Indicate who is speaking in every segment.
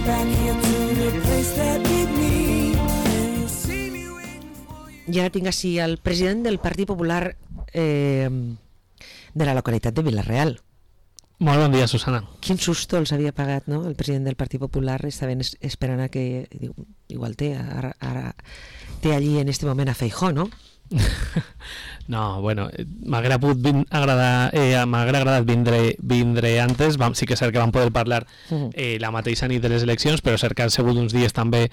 Speaker 1: I ara tinc així el president del Partit Popular de la localitat de Vila-real.
Speaker 2: Molt bon dia, Susana.
Speaker 1: Quin susto els havia pagat, no? El president del Partit Popular estaven esperant a que... Igual ara té allí en este moment a Feijóo, no?
Speaker 2: No, bueno, m'haguera agradat vindre antes. Sí que és cert que vam poder parlar la mateixa nit de les eleccions, però cert que han sigut uns dies també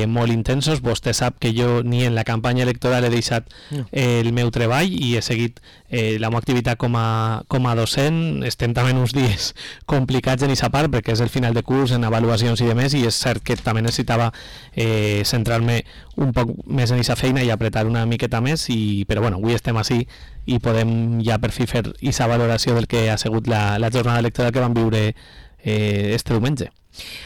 Speaker 2: molt intensos. Vostè sap que jo ni en la campanya electoral he deixat el meu treball i he seguit la meva activitat com a docent. Estem també en uns dies complicats en aquesta part perquè és el final de curs, en avaluacions i demés, i és cert que també necessitava centrar-me un poc més en aquesta feina i apretar una miqueta més, però bueno, avui estem així i podem ja per fi fer aquesta valoració del que ha sigut la jornada electoral que vam viure este diumenge.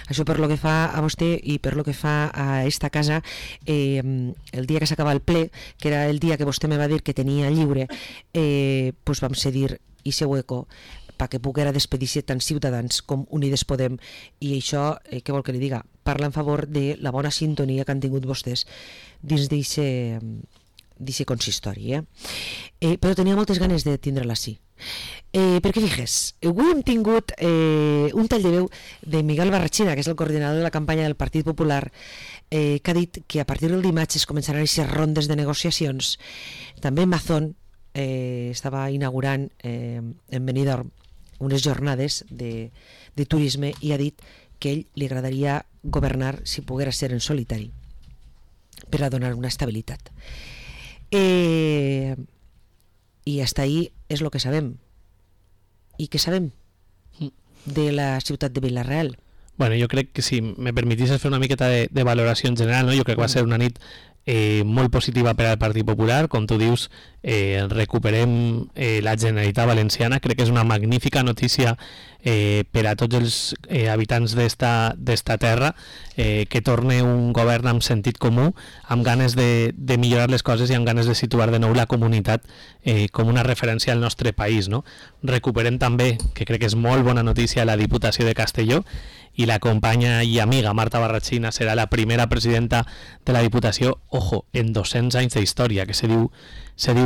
Speaker 1: Això per lo que fa a vostè i per lo que fa a esta casa, el dia que s'acaba el ple, que era el dia que vostè me va dir que tenia lliure, pues vam cedir ese hueco perquè poguera despedir-se tant Ciutadans com Unides Podem, i això, què vol que li diga? Parla en favor de la bona sintonia que han tingut vostès dins d'aquest consistori, però tenia moltes ganes de tindre-la així. Perquè fixes, avui hem tingut un tall de veu de Miguel Barrachina, que és el coordinador de la campanya del Partit Popular, que ha dit que a partir del dimarts es començaran aquestes rondes de negociacions. També Mazón estava inaugurant en Benidorm unes jornades de turisme i ha dit que a ell li agradaria governar si poguera ser en solitari per a donar una estabilitat. I hasta ahí és el que sabem. I què sabem de la ciutat de Vila-real?
Speaker 2: Bueno, jo crec que si me permetisses fer una miqueta de valoració en general, no? Jo crec que va ser una nit molt positiva per al Partit Popular. Com tu dius, recuperem la Generalitat Valenciana. Crec que és una magnífica notícia per a tots els habitants d'esta terra, que torne un govern amb sentit comú, amb ganes de millorar les coses i amb ganes de situar de nou la comunitat com una referència al nostre país, no? Recuperem també, que crec que és molt bona notícia, la Diputació de Castelló, i la companya i amiga Marta Barrachina serà la primera presidenta de la Diputació, ojo, en 200 anys d'història, que se diu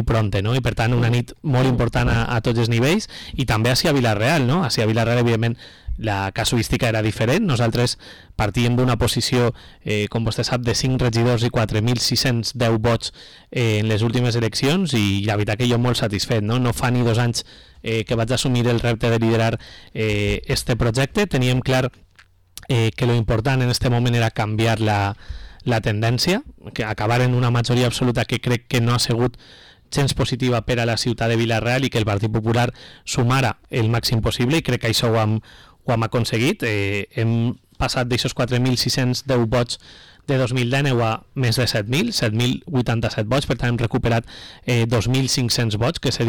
Speaker 2: pronte, no? I per tant una nit molt important a tots els nivells, i també a Vila-real, no? A Vila-real, evidentment, la casuística era diferent. Nosaltres partíem d'una posició, com vostè sap, de 5 regidors i 4.610 vots en les últimes eleccions, i la veritat que jo molt satisfet, no? No fa ni 2 anys que vaig assumir el repte de liderar este projecte. Teníem clar que lo important en este moment era canviar la tendència, que acabar en una majoria absoluta que crec que no ha sigut gens positiva per a la ciutat de Vila-real, i que el Partit Popular sumara el màxim possible, i crec que això ho hem aconseguit. Hem passat d'aixòs 4.610 vots de 2019 a més de 7.087 vots, per tant hem recuperat 2.500 vots, que se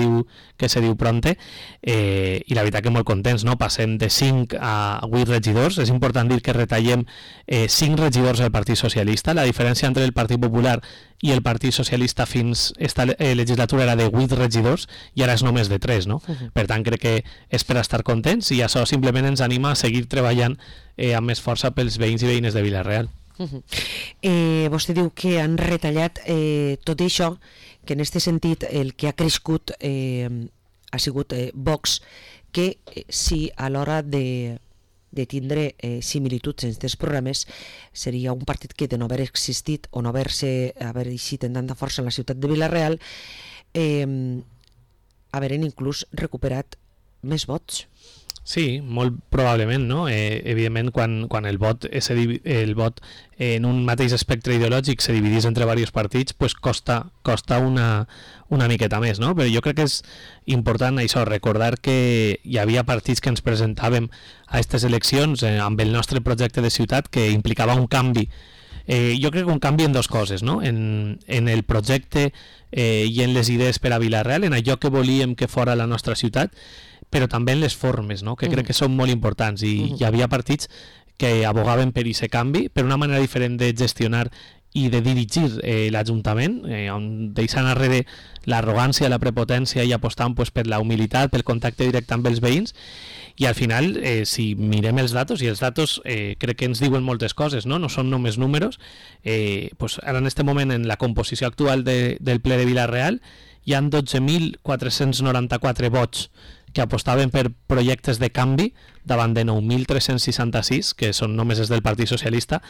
Speaker 2: diu pronte, i la veritat que molt contents, no? Passem de 5 a 8 regidors. És important dir que retallem 5 regidors del Partit Socialista. La diferència entre el Partit Popular i el Partit Socialista fins esta legislatura era de 8 regidors, i ara és només de 3, no? Per tant, crec que és per estar contents, i això simplement ens anima a seguir treballant amb més força pels veïns i veïnes de Vila-real.
Speaker 1: Vostè diu que han retallat tot això, que en aquest sentit el que ha crescut ha sigut Vox, que si a l'hora de tindre similituds en aquests programes seria un partit que de no haver existit o no haver eixit en tanta força en la ciutat de Vila-real, haveren inclús recuperat més vots.
Speaker 2: Sí, molt probablement, no? Evidentment, quan el vot en un mateix espectre ideològic se dividís entre diversos partits, pues costa una miqueta més, no? Però jo crec que és important això, recordar que hi havia partits que ens presentàvem a aquestes eleccions amb el nostre projecte de ciutat, que implicava un canvi. Jo crec que un canvi en 2 coses, no? En el projecte i en les idees per a Vila-real, en allò que volíem que fora la nostra ciutat, però també en les formes, no? Que crec que són molt importants, i hi havia partits que abogaven per aquest canvi, per una manera diferent de gestionar i de dirigir l'Ajuntament, on deixant enrere l'arrogància, la prepotència i apostant pues, per la humilitat, pel contacte directe amb els veïns. I al final, si mirem els datos, i els datos crec que ens diuen moltes coses, no són només números, pues ara en aquest moment en la composició actual del ple de Vila-real hi ha 12.494 vots que apostaven per projectes de canvi davant de 9.366, que són només els del Partit Socialista,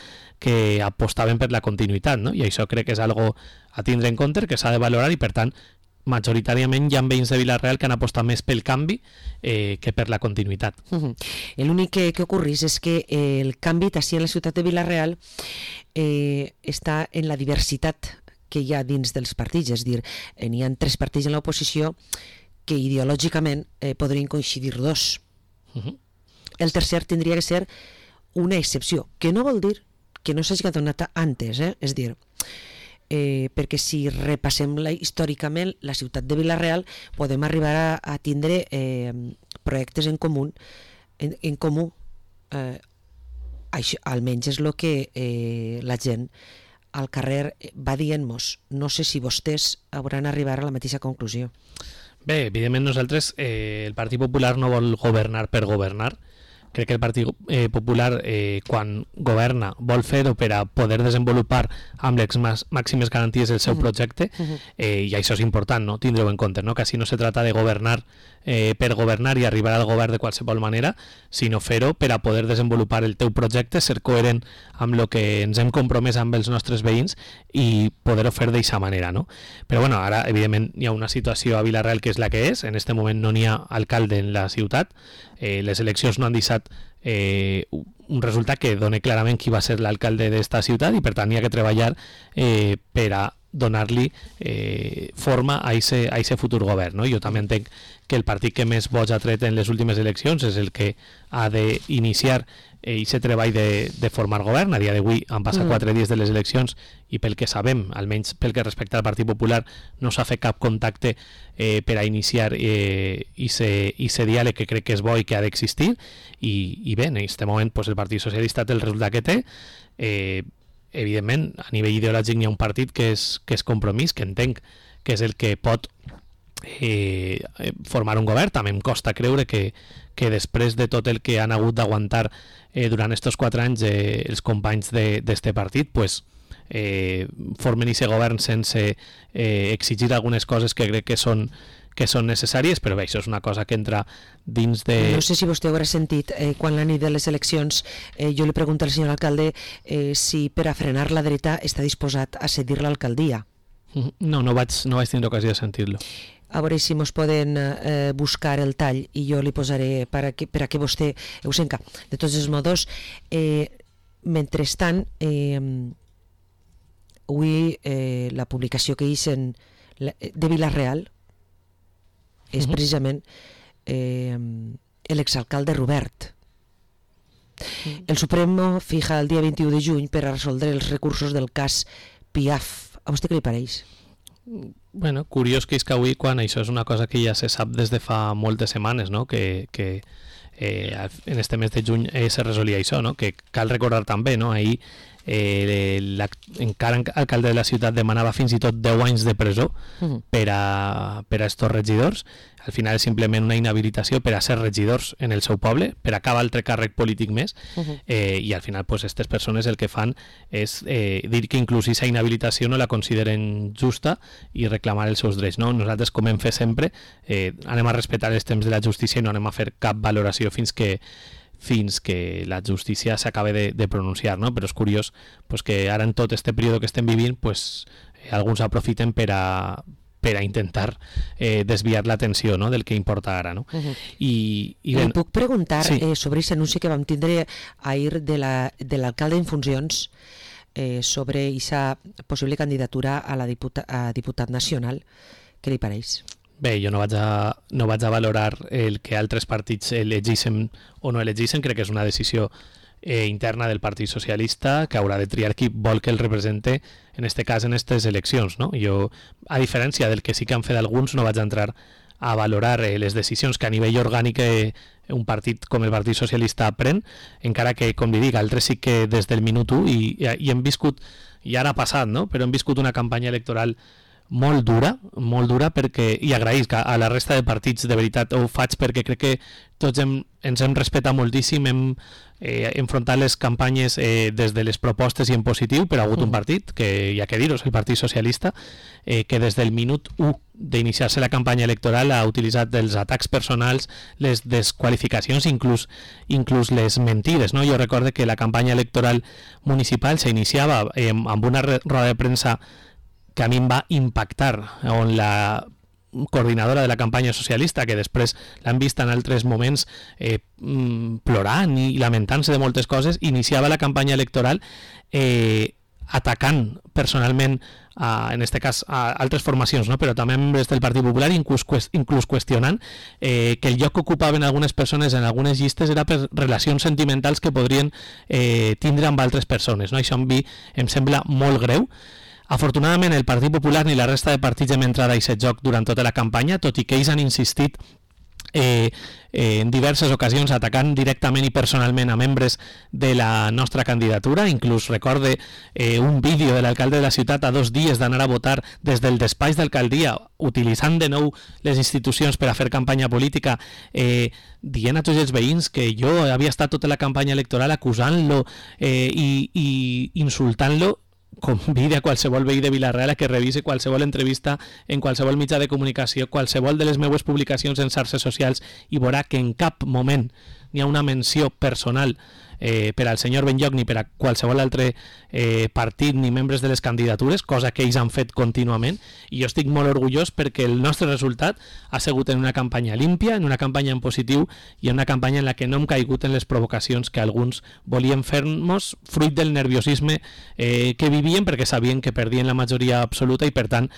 Speaker 2: que apostaven per la continuïtat, no? I això crec que és algo a tindre en compte, que s'ha de valorar, i per tant majoritàriament hi ha veïns de Vila-real que han apostat més pel canvi que per la continuïtat.
Speaker 1: L'únic que ocorreix és que el canvi d'ací en la ciutat de Vila-real està en la diversitat que hi ha dins dels partits, és a dir, n'hi ha 3 partits en l'oposició que ideològicament podrien coincidir 2. El tercer tindria que ser una excepció, que no vol dir que no s'hagi donat antes, és a dir, perquè si repassem històricament la ciutat de Vila-real podem arribar a tindre projectes en comú, això, almenys és el que la gent al carrer va dient-nos. No sé si vostès hauran arribat a la mateixa conclusió.
Speaker 2: Bé, evidentment nosaltres, el Partit Popular no vol governar per governar. Crec que el Partit Popular, quan governa, vol fer-ho per a poder desenvolupar amb les màximes garanties el seu projecte, i això és important, no? Tindre-ho en compte, no? Que així no se trata de governar per governar i arribar al govern de qualsevol manera, sinó fer-ho per a poder desenvolupar el teu projecte, ser coherent amb el que ens hem compromès amb els nostres veïns i poder-ho fer d'aquesta manera, no? Però bueno, ara evidentment hi ha una situació a Vila-real que és la que és, en aquest moment no n'hi ha alcalde en la ciutat, les eleccions no han deixat un resultat que doni clarament qui va ser l'alcalde d'esta ciutat, i per tant hi ha que treballar per a donar-li forma a aquest futur govern, no? Jo també entenc que el partit que més vots ha tret en les últimes eleccions és el que ha d'iniciar aquest treball de formar govern. A dia d'avui han passat 4 dies de les eleccions i pel que sabem, almenys pel que respecta al Partit Popular, no s'ha fet cap contacte per a iniciar aquest diàleg que crec que és bo i que ha d'existir, i bé, en aquest moment pues, el Partit Socialista té el resultat que té. Evidentment, a nivell ideològic n'hi ha un partit que és Compromís, que entenc que és el que pot formar un govern. També em costa creure que després de tot el que han hagut d'aguantar durant aquests 4 anys els companys d'este partit, pues, formen aquest govern sense exigir algunes coses que crec que són necessàries, però bé, això és una cosa que entra dins de...
Speaker 1: No sé si vostè haurà sentit, quan la nit de les eleccions jo li pregunto al senyor alcalde si per a frenar la dreta està disposat a cedir l'alcaldia.
Speaker 2: No vaig tenir ocasió de sentir-lo.
Speaker 1: A veure si mos poden buscar el tall i jo li posaré per a que vostè ho senta. De tots els modos, mentrestant, avui la publicació que hice de Vila-real és precisament l'exalcalde Robert. El Supremo fija el dia 21 de juny per a resoldre els recursos del cas Piaf. A vostè què li pareix?
Speaker 2: Bueno, curiós que és que avui, quan això és una cosa que ja se sap des de fa moltes setmanes, no? que en este mes de juny se resolia això, no? Que cal recordar també, no? Ahir encara alcalde de la ciutat demanava fins i tot 10 anys de presó per a estos regidors. Al final és simplement una inhabilitació per a ser regidors en el seu poble, per a cap altre càrrec polític més, i al final aquestes persones el que fan és dir que inclús aquesta inhabilitació no la consideren justa i reclamar els seus drets, no? Nosaltres, com hem fet sempre, anem a respectar els temps de la justícia i no anem a fer cap valoració fins que la justícia s'acabe de pronunciar, no? Però és curiós pues, que ara en tot este període que estem vivint pues, alguns aprofiten per a intentar desviar l'atenció, no? Del que importa ara, no? I
Speaker 1: li puc preguntar sobre aquest anunci que vam tindre ahir de l'alcalde en funcions sobre aquesta possible candidatura a diputat nacional. Què li pareix?
Speaker 2: Bé, jo no vaig a valorar el que altres partits elegeixen o no elegeixen. Crec que és una decisió interna del Partit Socialista que haurà de triar qui vol que el represente, en este cas en aquestes eleccions, no? Jo, a diferència del que sí que han fet alguns, no vaig a entrar a valorar les decisions que a nivell orgànic un partit com el Partit Socialista pren, encara que, com li dic, altres sí que des del minut 1 i hem viscut, i ara ha passat, no? Però hem viscut una campanya electoral molt dura perquè, i agraïsc a la resta de partits, de veritat ho faig perquè crec que tots ens hem respetat moltíssim, hem enfrontat les campanyes des de les propostes i en positiu, però ha hagut un partit, que hi ha que dir-ho, és el Partit Socialista, que des del minut 1 d'iniciar-se la campanya electoral ha utilitzat els atacs personals, les desqualificacions, inclús les mentides, no? Jo recordo que la campanya electoral municipal s'iniciava amb una roda de premsa que a mi em va impactar, on la coordinadora de la campanya socialista, que després l'han vist en altres moments plorant i lamentant-se de moltes coses, iniciava la campanya electoral atacant personalment en aquest cas a altres formacions, no? Però també membres del Partit Popular, inclús qüestionant que el lloc que ocupaven algunes persones en algunes llistes era per relacions sentimentals que podrien tindre amb altres persones, no? Això em sembla molt greu. Afortunadament el Partit Popular ni la resta de partits hem entrat a aquest joc durant tota la campanya, tot i que ells han insistit en diverses ocasions atacant directament i personalment a membres de la nostra candidatura. Inclús recorde un vídeo de l'alcalde de la ciutat a 2 dies d'anar a votar des del despatx d'alcaldia, utilitzant de nou les institucions per a fer campanya política, dient a tots els veïns que jo havia estat tota la campanya electoral acusant-lo i insultant-lo. Convida a qualsevol veí de Vila-real a que revise qualsevol entrevista en qualsevol mitjà de comunicació, qualsevol de les meues publicacions en xarxes socials, i veurà que en cap moment n'hi ha una menció personal per al senyor Benlloch ni per a qualsevol altre partit ni membres de les candidatures, cosa que ells han fet contínuament, i jo estic molt orgullós perquè el nostre resultat ha sigut en una campanya límpia, en una campanya en positiu i en una campanya en la que no hem caigut en les provocacions que alguns volien fer-nos fruit del nerviosisme que vivien, perquè sabien que perdien la majoria absoluta i per tant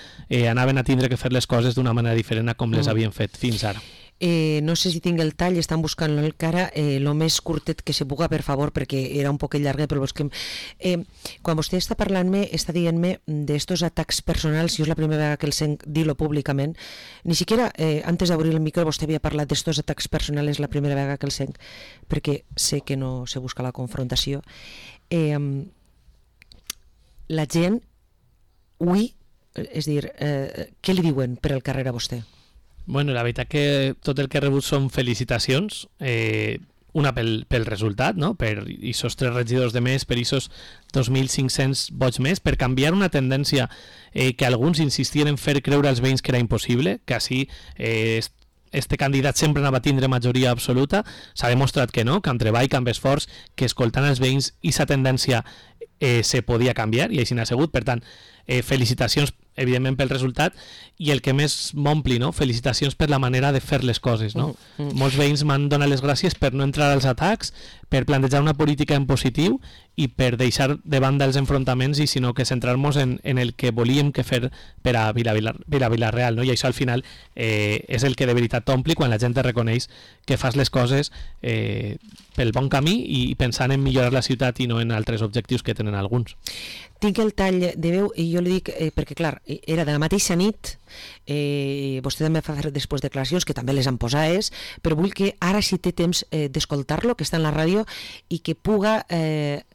Speaker 2: anaven a tindre que fer les coses d'una manera diferent a com les havien fet fins ara.
Speaker 1: No sé si tinc el tall, estan buscant-lo encara, el més curtet que se puga, per favor, perquè era un poquet llarg, però busquem. Quan vostè està parlant-me, està dient-me d'estos atacs personals, jo és la primera vegada que el sent dir-lo públicament, ni siquiera antes d'obrir el micro vostè havia parlat d'estos atacs personals, la primera vegada que el sent, perquè sé que no se busca la confrontació. La gent, ui, és dir, què li diuen per al carrer a vostè?
Speaker 2: Bueno, la veritat que tot el que he rebut són felicitacions, una pel resultat, no? Per aquests 3 regidors de més, per aquests 2.500 vots més, per canviar una tendència que alguns insistien en fer creure als veïns que era impossible, que així este candidat sempre anava a tindre majoria absoluta. S'ha demostrat que no, que amb treball, que amb esforç, que escoltant els veïns aquesta tendència se podia canviar i així n'ha sigut. Per tant, felicitacions evidentment pel resultat, i el que més m'ompli, no? Felicitacions per la manera de fer les coses, no? Molts veïns m'han donat les gràcies per no entrar als atacs, per plantejar una política en positiu i per deixar de banda els enfrontaments i sinó que centrar-nos en el que volíem que fer per a Vila-real, no? I això al final és el que de veritat t'ompli quan la gent te reconeix que fas les coses pel bon camí i pensant en millorar la ciutat i no en altres objectius que tenen alguns.
Speaker 1: Tinc el tall de veu i jo li dic, perquè clar, era de la mateixa nit, vostè també fa després declaracions que també les han posades, però vull que ara si té temps d'escoltar-lo, que està en la ràdio, i que puga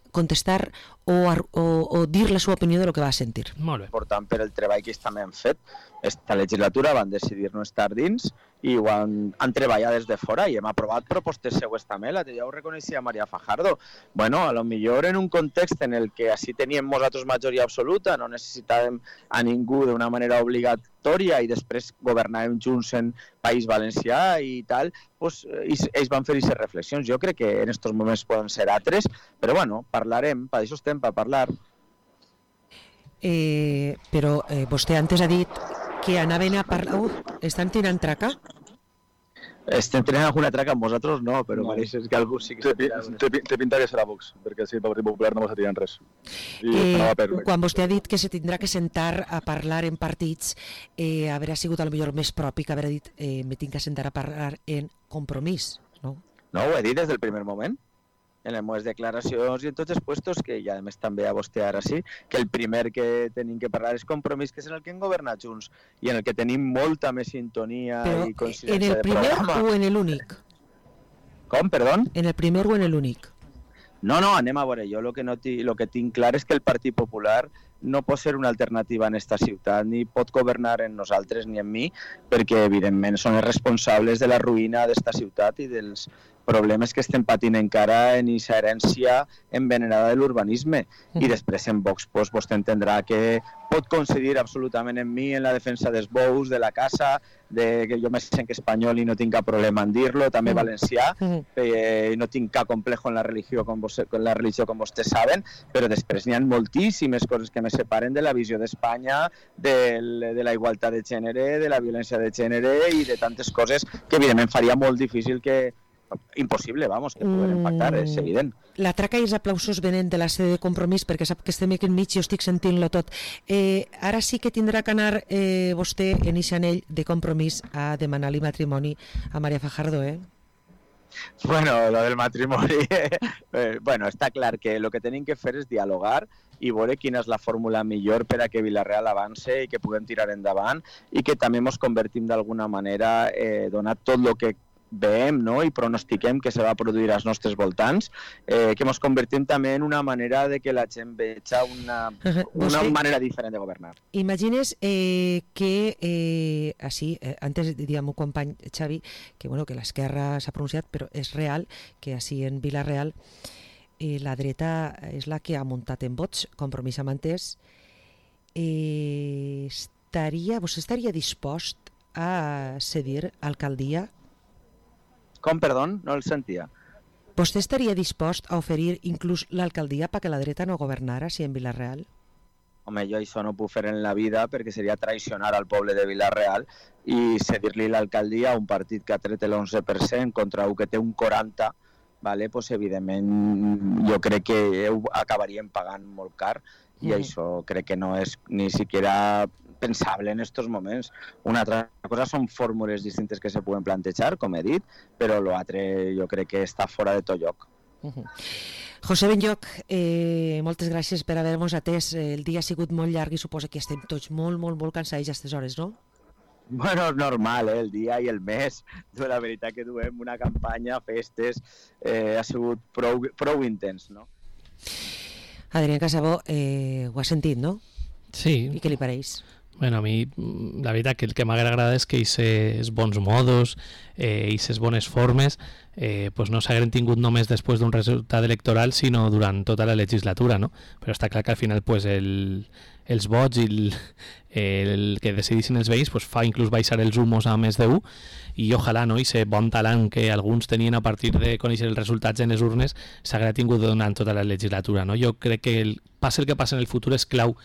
Speaker 1: contestar o dir la seva opinió de lo que va sentir.
Speaker 2: Molt bé.
Speaker 3: Important per el treball que també hem fet. Esta legislatura van decidir no estar dins i ho han treballat des de fora i hem aprovat propostes seues també, la que ja ho reconeixia Maria Fajardo. Bueno, a lo millor en un context en el que així teníem nosaltres majoria absoluta, no necessitàvem a ningú d'una manera obligatòria i després governàvem junts en País Valencià i tal, pues, ells van fer aquestes reflexions. Jo crec que en aquests moments poden ser altres, però bueno, parlarem, per això estem, per parlar.
Speaker 1: Però vostè antes ha dit que anaven a parlar... estan tirant traca?
Speaker 3: Estem tenint alguna traca amb vosaltres, no, però
Speaker 4: no.
Speaker 3: pareix que algú sí que...
Speaker 4: Té pinta que serà Vox, perquè si el Partit Popular no va tirant res.
Speaker 1: Quan vostè ha dit que se tindrà que sentar a parlar en partits, haurà sigut potser més propi que haurà dit me tinc que sentar a parlar en Compromís, no?
Speaker 3: No, ho he dit des del primer moment. en les meves declaracions i en tots els puestos, que ja a més també a vostè ara sí, que el primer que tenim que parlar és Compromís, que és en el que hem governat junts i en el que tenim molta més sintonia i coincidència
Speaker 1: de programa. ¿En el primer o en el únic?
Speaker 3: Com, perdó?
Speaker 1: En el primer o en el únic?
Speaker 3: No, anem a veure, jo el que tinc clar és que el Partit Popular no pot ser una alternativa en esta ciutat, ni pot governar en nosaltres ni en mi, perquè evidentment són els responsables de la ruïna d'esta ciutat i dels problemes que estem patint encara en aquesta herència envenenada de l'urbanisme. I després en Vox vostè entendrà que pot coincidir absolutament en mi en la defensa dels bous, de la caça, de que jo me sent espanyol i no tinc cap problema en dir-lo, també valencià, no tinc cap complejo en la religió com vostès saben, però després n'hi ha moltíssimes coses que me separen de la visió d'Espanya, de la igualtat de gènere, de la violència de gènere i de tantes coses que evidentment faria molt difícil que impossible, vamos, que poder impactar, és evident.
Speaker 1: La traca i els aplausos venen de la sede de Compromís, perquè sap que estem aquí enmig i jo estic sentint-lo tot. Ara sí que tindrà que anar vostè en aquest anell de Compromís a demanar-li matrimoni a María Fajardo,
Speaker 3: Bueno, lo del matrimoni... bueno, està clar que el que tenim que fer és dialogar i veure quina és la fórmula millor per a que Vila-real avance i que puguem tirar endavant i que també ens convertim d'alguna manera, donat tot el que veiem, no? I pronostiquem que se va produir als nostres voltants, que ens convertim també en una manera de que la gent veja una manera diferent de governar.
Speaker 1: Imagines que així, antes diria el meu company Xavi que l'esquerra s'ha pronunciat, però és real que així en Vila-real la dreta és la que ha muntat en vots Compromís amb Entès. Vostè estaria dispost a cedir alcaldia?
Speaker 3: Com, perdó? No el sentia.
Speaker 1: ¿Vostè estaria dispost a oferir inclús l'alcaldia perquè la dreta no governara si en Vila-real?
Speaker 3: Home, jo això no puc fer en la vida perquè seria traicionar al poble de Vila-real i cedir-li l'alcaldia a un partit que ha tret l'11% contra un que té un 40%, vale? Pues, evidentment jo crec que ho acabaríem pagant molt car i això crec que no és ni siquiera pensable en estos moments. Una altra cosa són fórmules distintes que se poden plantejar, com he dit, però l'altre jo crec que està fora de tot lloc.
Speaker 1: José Benlloch, moltes gràcies per haver-nos atès. El dia ha sigut molt llarg i suposa que estem tots molt cansats a aquestes hores, no?
Speaker 3: Bueno, és normal, el dia i el mes. La veritat que duem una campanya, festes, ha sigut prou intens, no?
Speaker 1: Adrián Casabó, ho has sentit, no?
Speaker 2: Sí.
Speaker 1: I què li pareix?
Speaker 2: Bueno, a mi la veritat que el que m'agrada és que aquests bons modos, aquestes bones formes, pues no s'hagueren tingut només després d'un resultat electoral, sinó durant tota la legislatura, no? Però està clar que al final pues, els vots i el que decidissin els veïns pues, fa inclús baixar els humos a més d'1 i ojalà, no? I ser bon talent que alguns tenien a partir de conèixer els resultats en les urnes s'haguera tingut durant tota la legislatura, no? Jo crec que passi el que passi en el futur és clau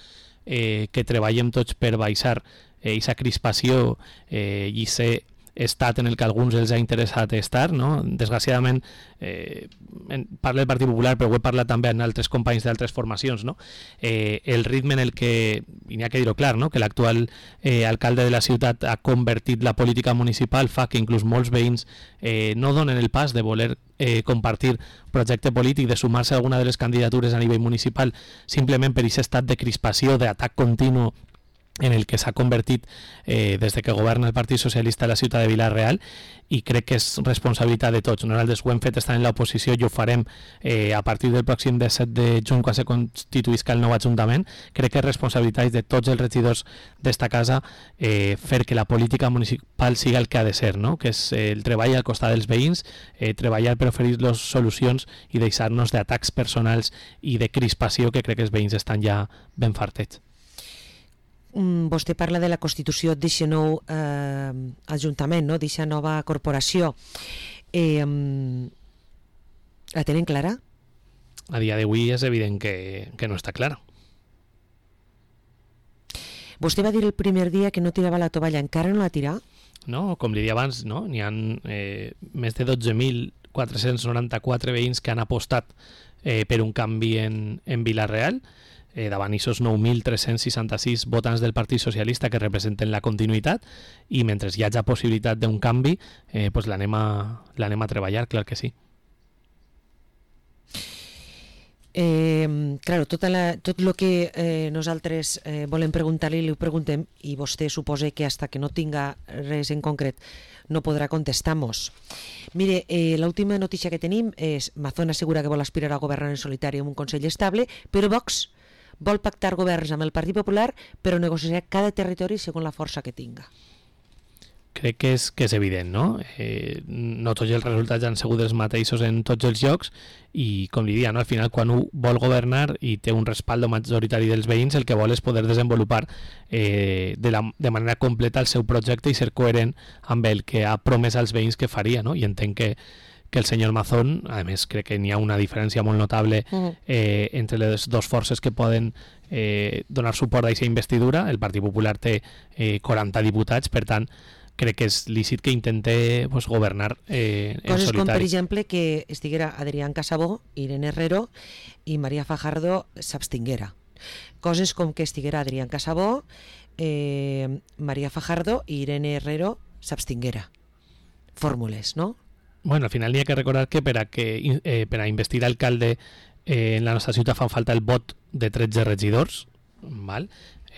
Speaker 2: que treballem tots per baixar aquesta crispació i ser estat en el que a alguns els ha interessat estar, no? Desgraciadament parla del Partit Popular, però ho he parlat també amb altres companys d'altres formacions, no? El ritme en el que, i n'hi ha que dir-ho clar, no? Que l'actual alcalde de la ciutat ha convertit la política municipal fa que inclús molts veïns no donen el pas de voler compartir projecte polític, de sumar-se a alguna de les candidatures a nivell municipal simplement per aquest estat de crispació, d'atac continu en el que s'ha convertit des de que governa el Partit Socialista a la ciutat de Vila-real, i crec que és responsabilitat de tots. Nosaltres ho hem fet estant en l'oposició i ho farem a partir del pròxim 17 de juny quan se constituïsca el nou Ajuntament. Crec que és responsabilitat de tots els regidors d'esta casa fer que la política municipal siga el que ha de ser, no? Que és el treball al costat dels veïns, treballar per oferir-los solucions i deixar-nos d'atacs personals i de crispació que crec que els veïns estan ja ben fartets.
Speaker 1: Vostè parla de la constitució d'aquest nou Ajuntament, no? D'aquesta nova corporació. La tenen clara?
Speaker 2: A dia d'avui és evident que no està clara.
Speaker 1: Vostè va dir el primer dia que no tirava la tovalla, encara no la tira?
Speaker 2: No, com li deia abans, no? N'hi ha més de 12.494 veïns que han apostat per un canvi en Vila-real, davant aquests 9.366 votants del Partit Socialista que representen la continuïtat, i mentre hi hagi possibilitat d'un canvi, pues l'anem a treballar, clar que sí.
Speaker 1: Claro, tot el que nosaltres volem preguntar-li, li ho preguntem, i vostè suposa que hasta que no tinga res en concret no podrà contestar-nos. Mire, l'última notícia que tenim és Mazón assegura que vol aspirar a governar en solitari amb un Consell estable, però Vox vol pactar governs amb el Partit Popular, però negociarà cada territori segons la força que tinga.
Speaker 2: Crec que és evident, no? No tots els resultats han sigut els mateixos en tots els llocs i, com li dia, no? Al final, quan un vol governar i té un respaldo majoritari dels veïns, el que vol és poder desenvolupar de manera completa el seu projecte i ser coherent amb el que ha promès als veïns que faria, no? I entenc que el senyor Mazón, a més, crec que n'hi ha una diferència molt notable entre les dues forces que poden donar suport a aquesta investidura. El Partit Popular té 40 diputats, per tant, crec que és lícit que intente governar en
Speaker 1: Coses
Speaker 2: solitari.
Speaker 1: com, per exemple, que estiguera Adrián Casabó, Irene Herrero i María Fajardo s'abstinguera. Coses com que estiguera Adrián Casabó, María Fajardo i Irene Herrero s'abstinguera. Fórmules, no?
Speaker 2: Bueno, al final n'hi ha que recordar que per a investir alcalde en la nostra ciutat fan falta el vot de 13 regidors, val?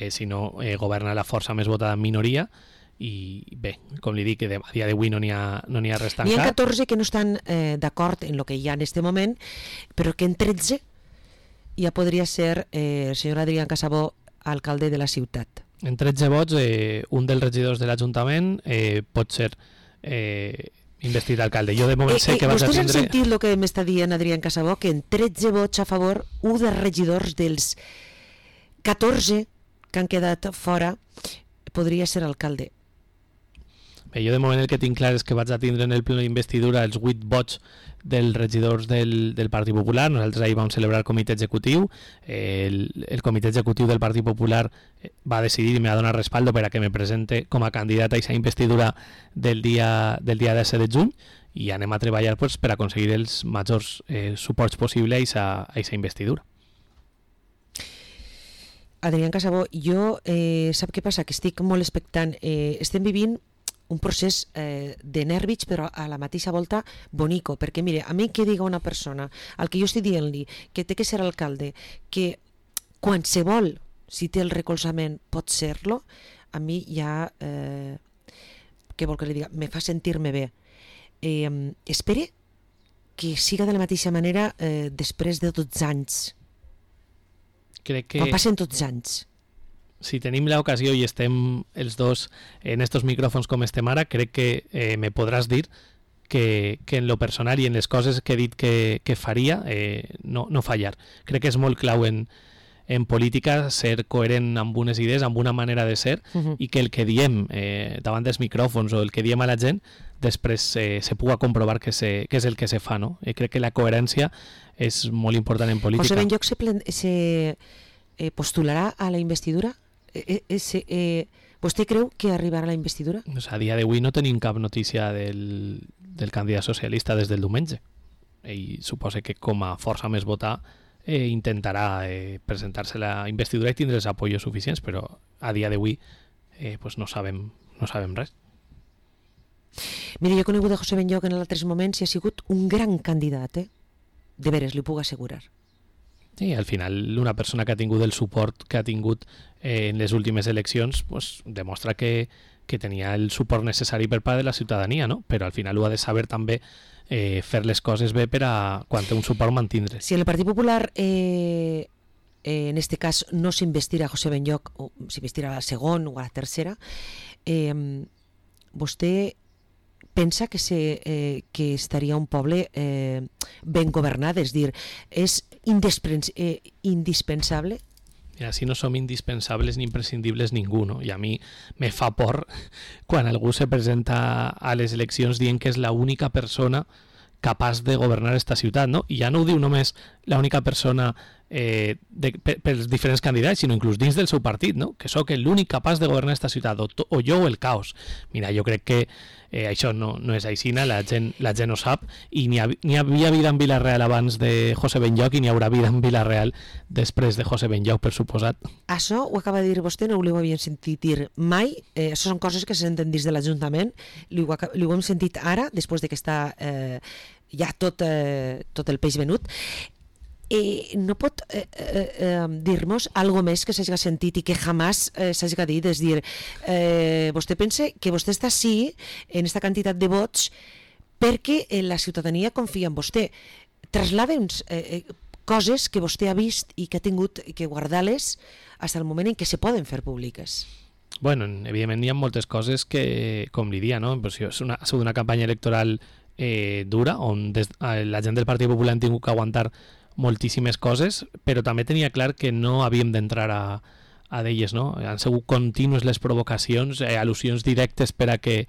Speaker 2: Si no governa la força més votada en minoria, i bé, com li dic, que a dia d'avui no n'hi ha res tancat.
Speaker 1: N'hi ha 14 que no estan d'acord en el que hi ha en aquest moment, però que en 13 ja podria ser el senyor Adrián Casabó alcalde de la ciutat.
Speaker 2: En 13 vots, un dels regidors de l'Ajuntament pot ser investit alcalde. Jo de moment sé que vaig a
Speaker 1: tindre... Vostès han sentit el que m'està dient Adrián Casabó, que en 13 vots a favor, un dels regidors dels 14 que han quedat fora podria ser alcalde.
Speaker 2: Bé, jo de moment el que tinc clar és que vaig a tindre en el ple d'investidura els 8 vots dels regidors del Partit Popular. Nosaltres ahir vam celebrar el comitè executiu. El comitè executiu del Partit Popular va decidir i me va donar respaldo per a que me presente com a candidat a aquesta investidura del dia 17 de juny i anem a treballar per a aconseguir els majors suports possibles a aquesta investidura.
Speaker 1: Adrián Casabó, jo sap què passa? Que estic molt expectant. Estem vivint un procés de nervis, però a la mateixa volta bonico, perquè mire, a mi que diga una persona, al que jo estic dient-li que té que ser alcalde, que qualsevol, si té el recolzament, pot ser-lo, a mi ja, què vol que li diga, me fa sentir-me bé. Espere que siga de la mateixa manera després de 12 anys.
Speaker 2: Crec que...
Speaker 1: Quan passen 12 anys.
Speaker 2: Si tenim l'ocasió i estem els dos en estos micròfons com estem ara, crec que me podràs dir que en lo personal i en les coses que he dit que faria no fallar. Crec que és molt clau en política ser coherent amb unes idees, amb una manera de ser, i que el que diem davant dels micròfons o el que diem a la gent després se puga comprovar que és el que se fa, no? Crec que la coherència és molt important en política.
Speaker 1: José Benlloch se postularà a la investidura? ¿Vostè creu que arribarà a la investidura?
Speaker 2: A dia d'avui no tenim cap notícia del candidat socialista des del diumenge. Ell suposa que com a força més votar intentarà presentar-se a la investidura i tindre els apoyos suficients, però a dia d'avui no sabem res.
Speaker 1: Mira, jo he conegut a José Benlloch en altres moments i ha sigut un gran candidat, de veres, li puc assegurar.
Speaker 2: Sí, al final una persona que ha tingut el suport que ha tingut en les últimes eleccions demostra que tenia el suport necessari per part de la ciutadania, no? Però al final ho ha de saber també fer les coses bé per a quan té un suport mantindre.
Speaker 1: Si el Partit Popular en este cas no s'investirà a José Benlloch, o s'investirà a la segona o a la tercera, vostè pensa que estaria un poble ben governat, és dir, és indispensable?
Speaker 2: Mira, si no som indispensables ni imprescindibles ningú, no? I a mi me fa por quan algú se presenta a les eleccions dient que és l'única persona capaç de governar esta ciutat, no? I ja no ho diu només l'única persona pels diferents candidats, sinó inclús dins del seu partit, no? Que sóc l'únic capaç de governar esta ciutat, o jo o el caos. Mira, jo crec que això no és aixina, la gent ho sap, i n'hi havia vida en Vila-real abans de José Benlloch i n'hi haurà vida en Vila-real després de José Benlloch, per suposat.
Speaker 1: Això ho acaba de dir vostè, no ho havíem sentit dir mai, això són coses que se senten dins de l'Ajuntament, ho hem sentit ara, després de que està ja tot el peix venut. No pot dir-nos algo més que s'hagi sentit i que jamás s'hagi dit, és dir, vostè pensa que vostè està sí en aquesta quantitat de vots perquè la ciutadania confia en vostè. Trasllada'ns coses que vostè ha vist i que ha tingut que guardar-les fins al moment en què se poden fer públiques.
Speaker 2: Bueno, evidentment hi ha moltes coses que, com li dia, no? Pues ha sigut una campanya electoral dura, on la gent del Partit Popular han tingut que aguantar moltíssimes coses, però també tenia clar que no havíem d'entrar a d'elles, no? Han sigut contínues les provocacions, al·lusions directes per a que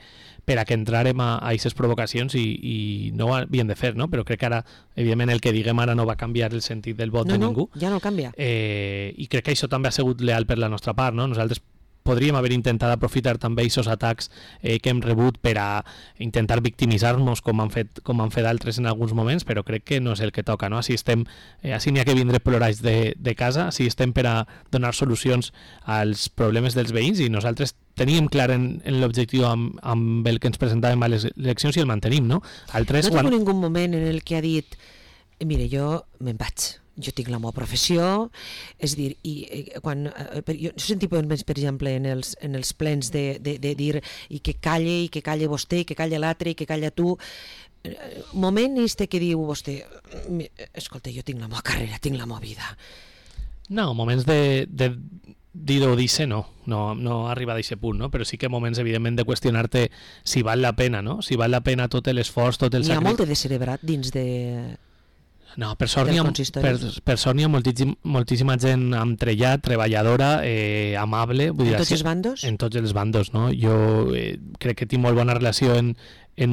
Speaker 2: entrarem a aquestes provocacions i no ho havíem de fer, no? Però crec que ara, evidentment, el que diguem ara no va canviar el sentit del vot de ningú.
Speaker 1: Ja no canvia.
Speaker 2: I crec que això també ha sigut leal per la nostra part, no? Nosaltres podríem haver intentat aprofitar també aquests atacs que hem rebut per a intentar victimitzar-nos com han fet altres en alguns moments, però crec que no és el que toca, no? Així n'hi ha que vindre plorats de casa, així estem per a donar solucions als problemes dels veïns i nosaltres teníem clar en l'objectiu amb el que ens presentàvem a les eleccions i el mantenim, no?
Speaker 1: No tinc ningú moment en el que ha dit mire, jo me'n vaig, jo tinc la meva professió, és dir, quan jo sentia per exemple en els plens de dir i que calle vostè, i que calle l'altre, i que calla tu, moment este que diu vostè, escolta, jo tinc la meva carrera, tinc la meva vida.
Speaker 2: No, moments de dir-ho o dir-se no arriba a aquest punt, no? Però sí que moments, evidentment, de qüestionar-te si val la pena, no? Si val la pena tot l'esforç, tot el sacrifici.
Speaker 1: N'hi ha molt de descerebrat dins de...
Speaker 2: No, per sort n'hi ha moltíssima gent entrellat, treballadora, amable.
Speaker 1: En tots els bandos?
Speaker 2: En tots els bandos, no? Jo crec que tinc molt bona relació en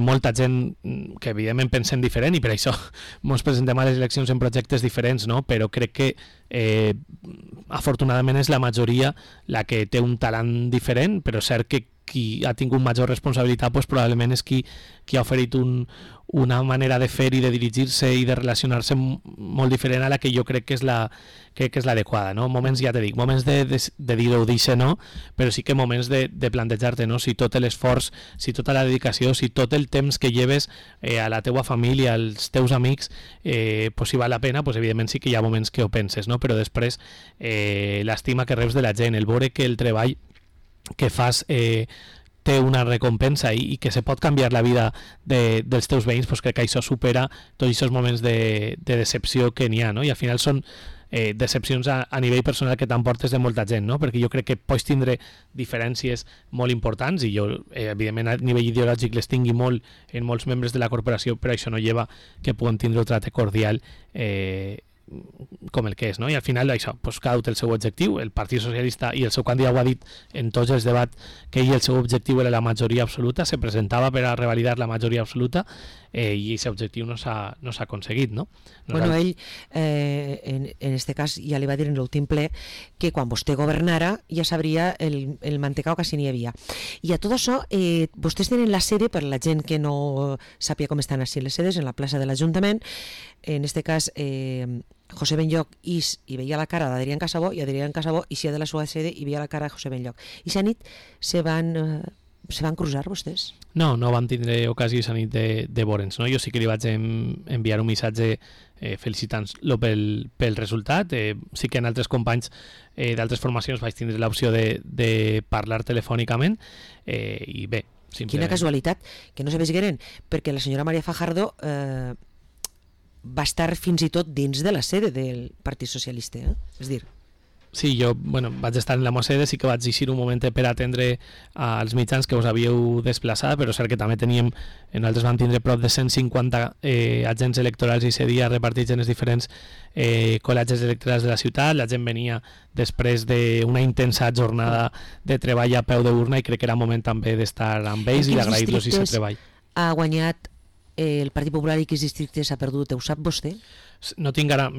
Speaker 2: molta gent que evidentment pensen diferent i per això ens presentem a les eleccions en projectes diferents, no? Però crec que afortunadament és la majoria la que té un talent diferent, però és cert que qui ha tingut major responsabilitat pues, probablement és qui ha oferit una manera de fer i de dirigir-se i de relacionar-se molt diferent a la que jo crec que és l'adequada, no? Moments, ja t'he dit, moments de dir-ho o dir-se no, però sí que moments de plantejar-te, no? Si tot l'esforç, si tota la dedicació, si tot el temps que lleves a la teua família, als teus amics, pues, si val la pena, pues, evidentment sí que hi ha moments que ho penses, no? Però després l'estima que reps de la gent, el veure que el treball que fas té una recompensa i que se pot canviar la vida dels teus veïns, pues crec que això supera tots aquests moments de decepció que n'hi ha, no? I al final són decepcions a nivell personal que t'emportes de molta gent, no? Perquè jo crec que pots tindre diferències molt importants i jo, evidentment, a nivell ideològic les tingui molt en molts membres de la corporació, però això no lleva que puguem tindre un tracte cordial com el que és, no? I al final això, pues, cada un té el seu objectiu, el Partit Socialista i el seu candidat ho ha dit en tots els debats que ell el seu objectiu era la majoria absoluta, se presentava per a revalidar la majoria absoluta i aquest objectiu no s'ha aconseguit, no?
Speaker 1: Bueno, ell en este cas ja li va dir en l'últim ple que quan vostè governara ja sabria el mantecao que sí n'hi havia. I a tot això, vostès tenen la sede, per la gent que no sàpia com estan així les sedes, en la plaça de l'Ajuntament, en este cas José Benlloch i veia la cara d'Adrián Casabó i Adrián Casabó eixia de la seva sede i veia la cara de José Benlloch. I aquesta nit se van cruzar vostès?
Speaker 2: No vam tindre ocasió aquesta nit de veure'ns, no? Jo sí que li vaig enviar un missatge felicitant-lo pel resultat. Sí que en altres companys d'altres formacions vaig tindre l'opció de parlar telefònicament i bé, simplement...
Speaker 1: Quina casualitat, que no se veigueren, perquè la senyora María Fajardo va estar fins i tot dins de la sede del Partit Socialista, és dir...
Speaker 2: Sí, jo vaig estar en la meva sede, sí que vaig eixir un moment per atendre als mitjans que us havíeu desplaçat, però és cert que també nosaltres vam tindre prop de 150 agents electorals i aquest dia repartits en els diferents col·legis electorals de la ciutat. La gent venia després d'una intensa jornada de treball a peu d'urna i crec que era moment també d'estar amb ells i d'agrair-los aquest treball.
Speaker 1: Ha guanyat el Partit Popular i quins districtes ha perdut, ho sap vostè?
Speaker 2: No tinc ara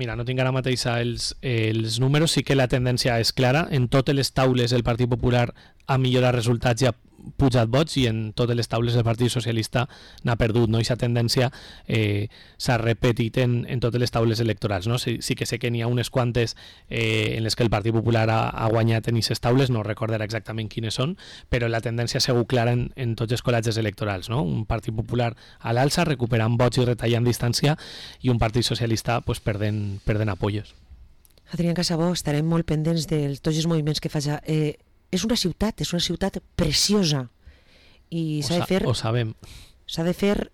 Speaker 2: mateix els números, sí que la tendència és clara. En totes les taules el Partit Popular ha millorat resultats i ha pujat vots, i en totes les taules el Partit Socialista n'ha perdut, no? I aquesta tendència s'ha repetit en totes les taules electorals, no? Sí que sé que n'hi ha unes quantes en les que el Partit Popular ha guanyat en aquestes taules, no recordaré exactament quines són, però la tendència ha sigut clara en tots els col·legis electorals, no? Un Partit Popular a l'alça, recuperant vots i retallant distància, i un Partit Socialista pues, perdent apoyos.
Speaker 1: Adrián Casabó, estarem molt pendents de tots els moviments que faci. És una ciutat preciosa i s'ha de fer...
Speaker 2: Ho sabem.
Speaker 1: S'ha de fer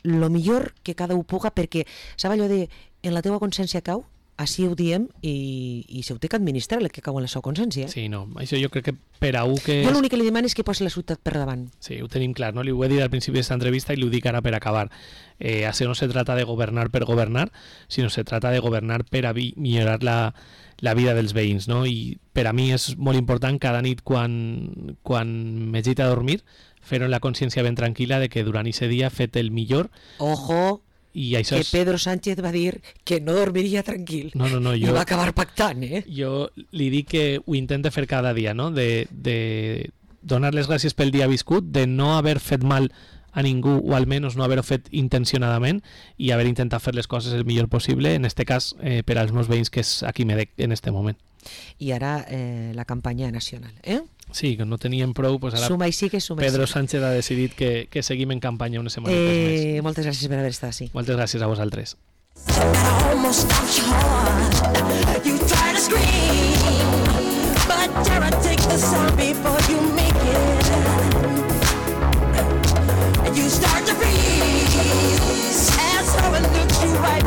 Speaker 1: lo millor que cada un puga, perquè saps allò de en la teua consciència cau, així ho diem, i se ho té que administrar el que cau en la seva consciència.
Speaker 2: Sí, no, això jo crec que per a un que...
Speaker 1: Jo l'únic que li demano és que posi la ciutat per davant.
Speaker 2: Sí, ho tenim clar, no? Li ho he dit al principi d'esta entrevista i li ho dic ara per acabar. Això no se trata de governar per governar, sinó se trata de governar per a millorar la vida dels veïns, no? I per a mi és molt important cada nit quan m'he a dormir fer-ho en la consciència ben tranquil·la de que durant aquest dia he fet el millor.
Speaker 1: Ojo,
Speaker 2: i això
Speaker 1: que Pedro Sánchez va dir que no dormiria tranquil.
Speaker 2: No,
Speaker 1: i va acabar pactant,
Speaker 2: Jo li dic que ho intento fer cada dia, no? De donar les gràcies pel dia viscut, de no haver fet mal a ningú, o almenys no haver-ho fet intencionadament, i haver intentat fer les coses el millor possible, en este cas per als meus veïns, que és a qui me dec en este moment.
Speaker 1: I ara la campanya nacional,
Speaker 2: Sí, que no teníem prou, pues ara
Speaker 1: suma i sigue, suma
Speaker 2: Pedro Sánchez ha decidit que seguim en campanya unes setmanes més.
Speaker 1: Moltes gràcies per haver estat així.
Speaker 2: Moltes gràcies a vosaltres.
Speaker 5: You start to freeze, and so it looks you right